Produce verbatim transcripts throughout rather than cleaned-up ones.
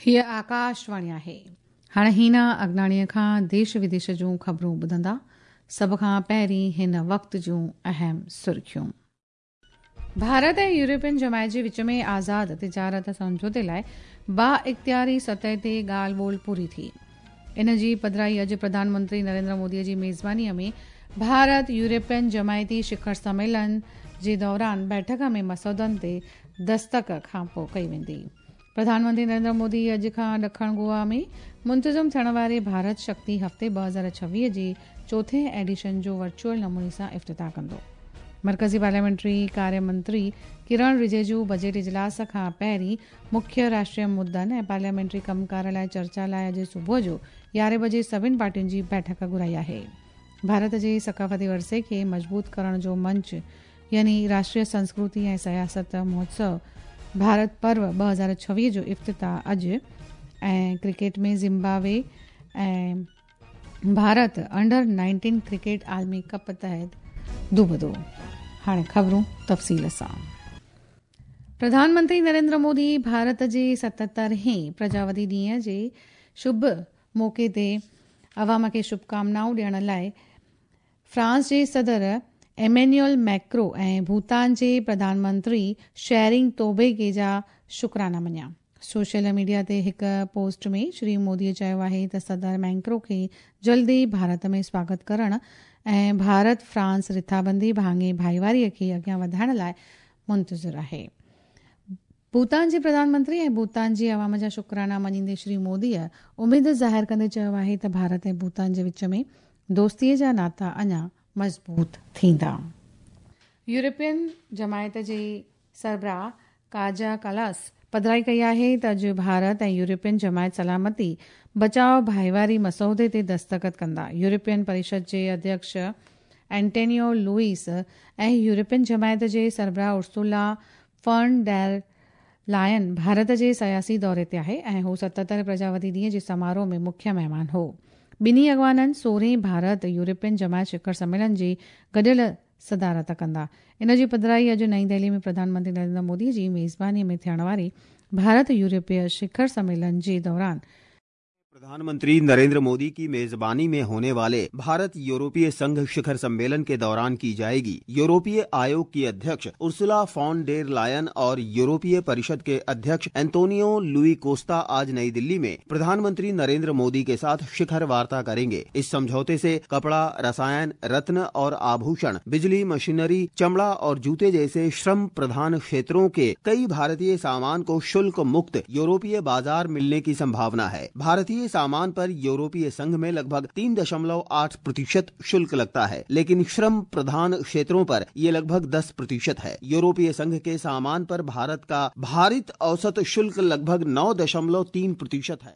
हीअ आकाशवाणी आहे। हाणे हीना अगनाणीअ खां देश विदेश जूं ख़बरूं ॿुधंदा। सभ खां पहिरीं हिन वक़्त जूं अहम सुर्खियूं। भारत ऐं यूरोपियन जमायत जे विच में आज़ाद तिजारत सम्झौते लाइ बा इख़्तियारी सतह ते ॻाल्हि ॿोल पूरी थी। इन जी पधराई अॼु प्रधानमंत्री नरेंद्र मोदीअ जी मेज़बानीअ में भारत यूरोपियन जमायती शिखर सम्मेलन जे दौरान बैठक में मसौदनि ते दस्तक खां पोइ कई वेंदी। प्रधानमंत्री नरेंद्र मोदी अॼु खां ॾखण गोवा में मुंतज़म थियण वारे भारत शक्ति हफ़्ते ॿ हज़ार छवीह जे चोथें एडिशन जो वर्चुअल नमूने सां इफ़्तिताह कंदो। मर्कज़ी पार्लियामेंट्री कार्य मंत्री किरण रिजिजू बजट इजलास खां पहिरीं मुख्य राष्ट्रीय मुद्दनि ऐं पार्लियामेंट्री कमकार लाइ चर्चा लाइ अॼु सुबुह जो यारहें बजे सभिनी पार्टियुनि जी बैठक घुराई आहे। भारत जे सकाफ़ती विरसे खे मज़बूत करण जो मंच यानी राष्ट्रीय संस्कृति ऐं सियासत महोत्सव भारत पर्व ॿ हज़ार छवीह जो इफ़्तिताह अॼु ऐं क्रिकेट में ज़िम्बाब्वे ऐं भारत अंडर नाइनटीन क्रिकेट आलमी कप तहत दुबदो। हाणे ख़बरूं तफ़सील सां। प्रधानमंत्री नरेंद्र मोदी भारत जे सतहतरहें प्रजावती ॾींहं जे शुभ मौक़े ते अवाम खे शुभकामनाऊं ॾियण लाइ फ्रांस जे सदर एमेन्युअल मैक्रो ऐं भूटान जे प्रधानमंत्री शेरिंग तोबे जा शुक्राना मञिया। सोशल मीडिया ते हिकु पोस्ट में श्री मोदीअ चयो आहे त सदर मैक्रो खे जल्दी भारत में स्वागत करण ऐं भारत फ्रांस रिथाबंदी भाङे भाईवारीअ खे अॻियां वधाइण लाइ मुंतज़िर आहे। भूटान जे प्रधानमंत्री ऐं भूटान जे अवाम जा शुक्राना मञींदे श्री मोदीअ उमेद ज़ाहिर कंदे चयो आहे त भारत ऐं भूटान जे विच में दोस्तीअ जा नाता अञा मज़बूत थींदा। यूरोपियन जमायत जे सरबराह काजा कालास पधराई कई आहे त अॼु भारत ऐं यूरोपियन जमायत सलामती बचाव भाईवारी मसौदे ते दस्तख़त कंदा। यूरोपियन परिषद जे अध्यक्ष एंटोनियो लुइस ऐं यूरोपियन जमायत जे सरबराह Ursula von der Leyen Bharat जे सियासी दौरे ते आहे ऐं हू सतहतरि प्रजावती ॾींहं जे समारोह में मुख्य महिमान हो। ॿिन्ही अॻवाननि सोरहें भारत यूरोपियन जमायत शिखर सम्मेलन जी गॾियल सदारत कंदा। इन जी पधराई अॼु नई दिल्ली में प्रधानमंत्री नरेंद्र मोदी जी मेज़बानीअ में थियण वारे भारत यूरोपीय शिखर सम्मेलन जे दौरान प्रधानमंत्री नरेंद्र मोदी की मेजबानी में होने वाले भारत यूरोपीय संघ शिखर सम्मेलन के दौरान की जाएगी। यूरोपीय आयोग की अध्यक्ष उर्सुला फॉन डेर लायन और यूरोपीय परिषद के अध्यक्ष एंटोनियो लुई कोस्ता आज नई दिल्ली में प्रधानमंत्री नरेंद्र मोदी के साथ शिखर वार्ता करेंगे। इस समझौते से कपड़ा, रसायन, रत्न और आभूषण, बिजली, मशीनरी, चमड़ा और जूते जैसे श्रम प्रधान क्षेत्रों के कई भारतीय सामान को शुल्क मुक्त यूरोपीय बाजार मिलने की संभावना है। भारतीय सामान पर यूरोपीय संघ में लगभग तीन दशमलव आठ प्रतिशत शुल्क लगता है, लेकिन श्रम प्रधान क्षेत्रों पर ये लगभग दस प्रतिशत है। यूरोपीय संघ के सामान पर भारत का भारित औसत शुल्क लगभग नौ दशमलव तीन प्रतिशत है।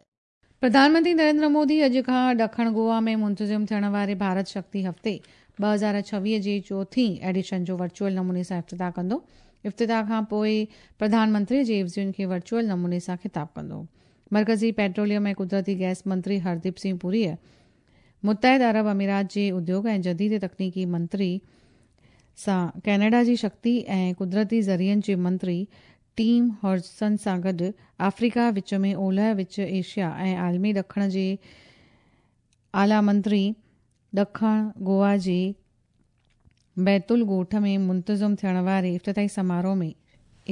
प्रधानमंत्री नरेंद्र मोदी अॼु खां ॾखण गोवा में मुंतज़िम थियण वारे भारत शक्ति हफ़्ते ॿ हज़ार छवीह जे चोथीं एडिशन जो वर्चुअल नमूने सां इफ़्तिताह कंदो। इफ़्तिताह खां पोइ प्रधानमंत्री जे इवज़ियुनि खे वर्चुअल नमूने सां ख़िताब कंदो। मर्कज़ी पेट्रोलियम ऐं कुदरती गैस मंत्री हरदीप सिंह पुरीअ मुत्तहिद अरब अमीरात जे उद्योग ऐं जदीद तकनीकी मंत्री सां कैनेडा जी शक्ति ऐं कुदरती ज़रियनि जे मंत्री टीम हॉजसन सां गॾु आफ्रीका विच में ओलह विच एशिया ऐं आलमी ॾखण जे आला मंत्री ॾखण गोवा जे बैतुल ॻोठ में मुंतज़िम थियण वारे इफ़्तिताही समारोह में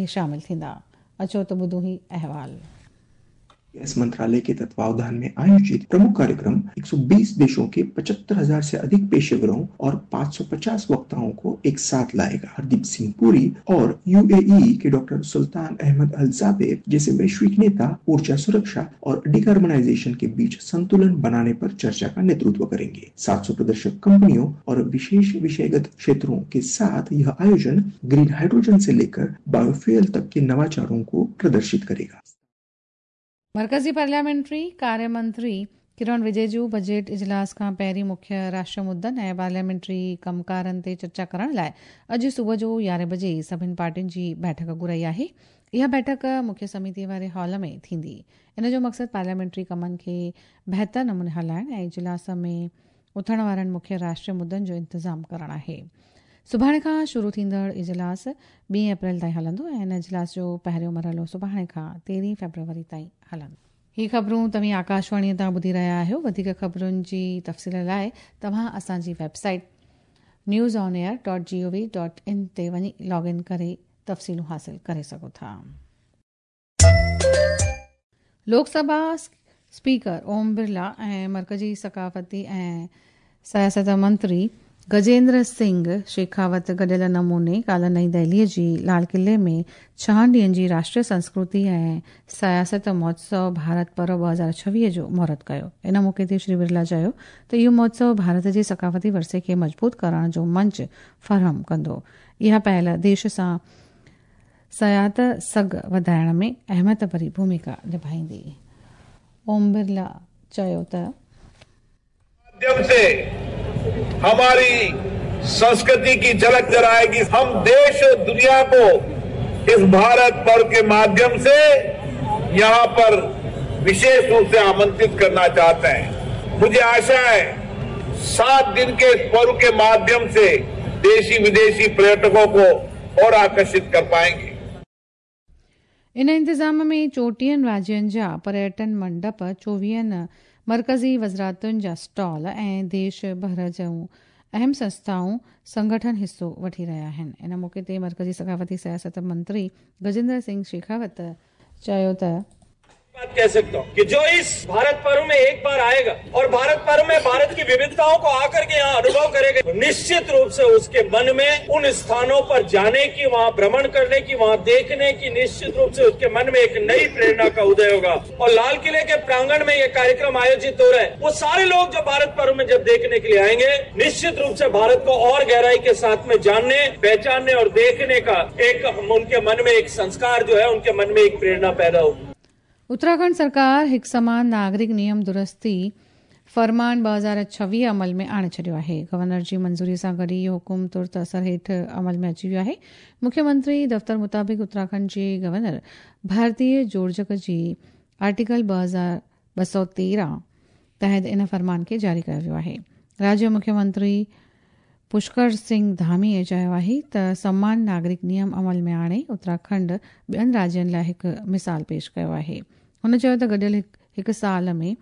शामिल थींदा। अचो त ॿुधूं ही अहवाल। गैस मंत्रालय के तत्वावधान में आयोजित प्रमुख कार्यक्रम एक सौ बीस देशों के पचहत्तर हजार से अधिक पेशेवरों और पाँच सौ पचास वक्ताओं को एक साथ लाएगा। हरदीप सिंह पुरी और यूएई के डॉक्टर सुल्तान अहमद अल जाबेर जैसे वैश्विक नेता ऊर्जा सुरक्षा और डिकार्बोनाइजेशन के बीच संतुलन बनाने पर चर्चा का नेतृत्व करेंगे। सात सौ प्रदर्शक कंपनियों और विशेष विषयगत क्षेत्रों के साथ यह आयोजन ग्रीन हाइड्रोजन से लेकर बायोफ्यूल तक के नवाचारों को प्रदर्शित करेगा। मर्कज़ी पार्लियामेंट्री कार्य मंत्री किरण रिजिजू बजट इजलास खां पहिरीं मुख्य राष्ट्रीय मुद्दनि ऐं पार्लियामेंट्री कमकारनि ते चर्चा करण लाइ अॼु सुबुह जो यारहें बजे सभिनी पार्टियुनि जी बैठक घुराई आहे। इहा बैठक मुख्य समिति वारे हॉल में थींदी। इन जो मक़सदु पार्लियामेंट्री कमनि खे बहितर नमूने हलाइण ऐं इजलास में उथण वारनि मुख्य राष्ट्रीय मुद्दनि जो इंतज़ाम करणु आहे। सुभाणे खां शुरू थींदड़ इजलास ॿी अप्रैल ताईं हलंदो ऐं इन इजलास जो पहिरियों मरहलो सुभाणे खां तेरहीं फेब्रुअरी ताईं हलंदो। ही ख़बरूं तव्हीं आकाशवाणीअ तां ॿुधी रहिया आहियो। वधीक ख़बरुनि जी तफ़सील लाइ तव्हां असांजी website news on air dot G O V dot in ते वञी लॉग इन करे तफ़सीलूं हासिल करे सघो था। लोकसभा स्पीकर ओम बिरला ऐं मर्कज़ी सकाफ़ती ऐं सियासत मंत्री गजेंद्र सिंह शेखावत गॾियल नमूने काल्ह नई दिल्लीअ जी लाल किले में छहनि ॾींहनि जी राष्ट्रीय संस्कृति ऐं सियासत महोत्सव भारत पर्व ॿ हज़ार छवीह जो मुहूर्त कयो। इन मौक़े ते श्री बिरला चयो त इहो महोत्सव भारत जे सकाफ़ती विरसे खे मज़बूत करण जो मंच फराहम कंदो। इहा पहल देश सां सयात सघ वधाइण में अहमियत भरी भूमिका निभाईंदी। ओम बिरला चयो त माध्यम से हमारी संस्कृति की झलक नजर आएगी। हम देश और दुनिया को इस भारत पर्व के माध्यम से यहाँ पर विशेष रूप से आमंत्रित करना चाहते हैं। मुझे आशा है सात दिन के इस पर्व के माध्यम से देशी विदेशी पर्यटकों को और आकर्षित कर पाएंगे। इन इंतज़ाम में चोटीहनि राज्यनि जा पर्यटन मंडप, चोवीहनि मर्कज़ी वज़ारतुनि जा स्टॉल ऐं देश भर जूं अहम संस्थाऊं संगठन हिसो वठी रहिया आहिनि। इन मौक़े ते मर्कज़ी सकाफ़ती सियासत मंत्री गजेंद्र सिंह शेखावत चयो त बात कह सकता हूँ कि जो इस भारत पर्व में एक बार आएगा और भारत पर्व में भारत की विविधताओं को आकर के यहाँ अनुभव करेगा, निश्चित रूप से उसके मन में उन स्थानों पर जाने की, वहाँ भ्रमण करने की, वहाँ देखने की निश्चित रूप से उसके मन में एक नई प्रेरणा का उदय होगा। और लाल किले के प्रांगण में ये कार्यक्रम आयोजित हो रहा है, वो सारे लोग जो भारत पर्व में जब देखने के लिए आएंगे, निश्चित रूप से भारत को और गहराई के साथ में जानने, पहचानने और देखने का एक उनके मन में एक संस्कार जो है, उनके मन में एक प्रेरणा पैदा होगी। उत्तराखंड सरकार हिकु समान नागरिक नियम दुरुस्ती फरमान ॿ हज़ार छवीह अमल में आणे छॾियो आहे। गवर्नर जी मंज़ूरीअ सां गॾु इहो हुकुम तुर्त असर हेठि अमल में अची वियो आहे। मुख्यमंत्री दफ़्तर मुताबिक़ उत्तराखंड जे गवर्नर भारतीय जोड़जक जी आर्टिकल ॿ हज़ार ॿ सौ तेरहं तहत इन फरमान खे जारी कयो वियो आहे। राज्य मुख्यमंत्री पुष्कर सिंह धामीअ चयो आहे त समान नागरिक नियम अमल में आणे उत्तराखंड ॿियनि राज्यनि लाइ हिकु मिसाल पेश कयो आहे। हुन चयो त गॾियल हिकु साल में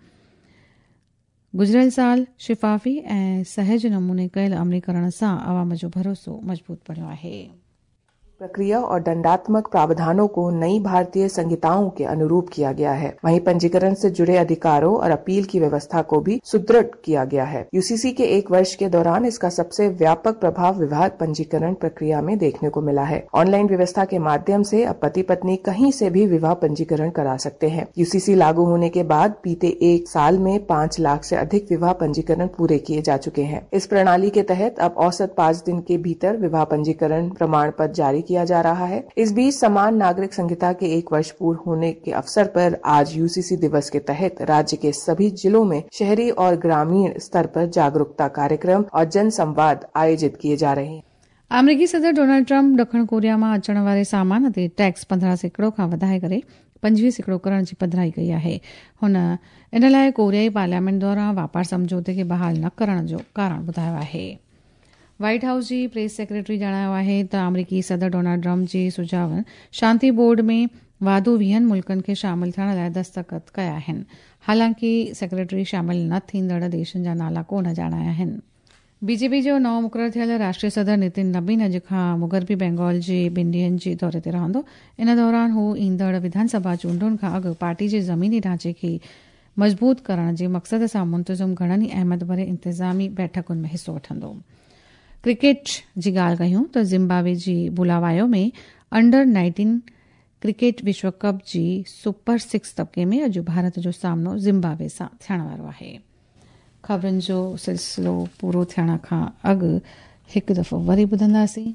गुज़िरियल साल शिफ़ाफ़ी ऐं सहज नमूने कयल अमलीकरण सां अवाम जो भरोसो मज़बूत बणियो आहे। प्रक्रिया और दंडात्मक प्रावधानों को नई भारतीय संहिताओं के अनुरूप किया गया है। वहीं पंजीकरण से जुड़े अधिकारों और अपील की व्यवस्था को भी सुदृढ़ किया गया है। यूसीसी के एक वर्ष के दौरान इसका सबसे व्यापक प्रभाव विवाह पंजीकरण प्रक्रिया में देखने को मिला है। ऑनलाइन व्यवस्था के माध्यम से अब पति पत्नी कहीं से भी विवाह पंजीकरण करा सकते हैं। यूसीसी लागू होने के बाद बीते एक साल में पाँच लाख से अधिक विवाह पंजीकरण पूरे किए जा चुके हैं। इस प्रणाली के तहत अब औसत पाँच दिन के भीतर विवाह पंजीकरण प्रमाण पत्र जारी किया जा रहा है। इस बीच समान नागरिक संहिता के एक वर्ष पूर्ण होने के अवसर पर आज यूसीसी दिवस के तहत राज्य के सभी जिलों में शहरी और ग्रामीण स्तर पर जागरूकता कार्यक्रम और जन संवाद आयोजित किए जा रहे हैं। अमेरिकी सदर डोनाल्ड ट्रंप दक्षिण कोरिया मां अचण वारे सामान ते टैक्स पंद्रहं सैकड़ो खां वधाए करे पंजवीह सैकड़ो करण जी पधराई कई आहे। हुन इन लाइ कोरियाई पार्लियामेंट दौरान वापार सम्झौते खे बहाल न करण जो कारण ॿुधायो आहे। व्हाइट हाउस जी प्रेस सेक्रेटरी ॼाणायो आहे त अमेरिकी सदर डोनाल्ड ट्रंप जे सुझावनि शांति बोर्ड में वाधू वीहनि मुल्कनि खे शामिल थियण लाइ दस्तख़त कया आहिनि। हालांकि सेक्रेटरी शामिल न थींदड़ देशनि जा नाला कोन ॼाणाया आहिनि। बीजेपी जो नओं मुक़ररु थियल राष्ट्रीय सदर नितिन नबीन अॼु खां मुग़रबी बंगाल जे ॿिनि ॾींहंनि जे दौरे ते रहंदो। इन दौरान हू ईंदड़ विधानसभा चूंडुनि खां अॻु पार्टी जे ज़मीनी ढांचे खे मज़बूत करण जे मक़सद सां मुंतज़म घणनि ई अहमियत भरे इंतिज़ामी बैठकुनि में हिसो वठंदो। क्रिकेट जी ॻाल्हि कयूं त ज़िम्बाब्वे जी बुलावायो में अंडर नाइनटीन क्रिकेट विश्व कप जी सुपर सिक्स तबके में अॼु भारत जो सामनो ज़िम्बाब्वे सां थियण वारो आहे। ख़बरुनि जो सिलसिलो पूरो थियण खां अॻु हिकु दफ़ो वरी ॿुधंदासीं।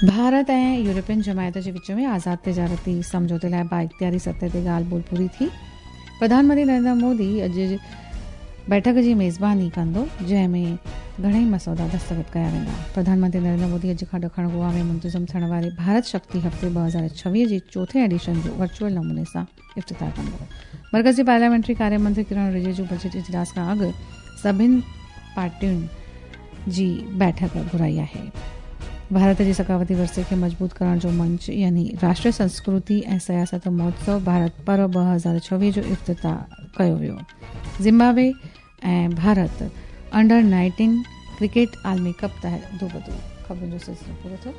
भारत ऐं यूरोपियन जमायत जे विच में आज़ाद तिजारती सम्झौते लाइ बाइख़्तियारी सतह ते ॻाल्हि ॿोल पूरी थी। प्रधानमंत्री नरेंद्र मोदी अॼु बैठक जी मेज़बानी कंदो, जंहिंमें घणेई मसौदा दस्तख़त कया वेंदा। प्रधानमंत्री नरेंद्र मोदी अॼु खां ॾखण गोवा में मुंतज़म थियण वारे भारत शक्ति हफ़्ते ॿ हज़ार छवीह जे चोथे एडिशन जो वर्चुअल नमूने सां इफ़्तिताह कंदो। मर्कज़ी पार्लियामेंट्री कार्य मंत्री किरण रिजिजू बजट इजलास खां अॻु सभिनी पार्टियुनि जी बैठक घुराई आहे। भारत जे सक़ाफ़ती विरसे खे मज़बूत करण जो मंच यानी राष्ट्रीय संस्कृति ऐं सियासत महोत्सव भारत पर्व ॿ हज़ार छवीह जो इफ़्तिताह कयो वियो। ज़िम्बाब्वे ऐं भारत अंडर नाइनटीन क्रिकेट आलमी कप तहत दो बदो। ख़बरुनि जो सिलसिलो पूरो थियो।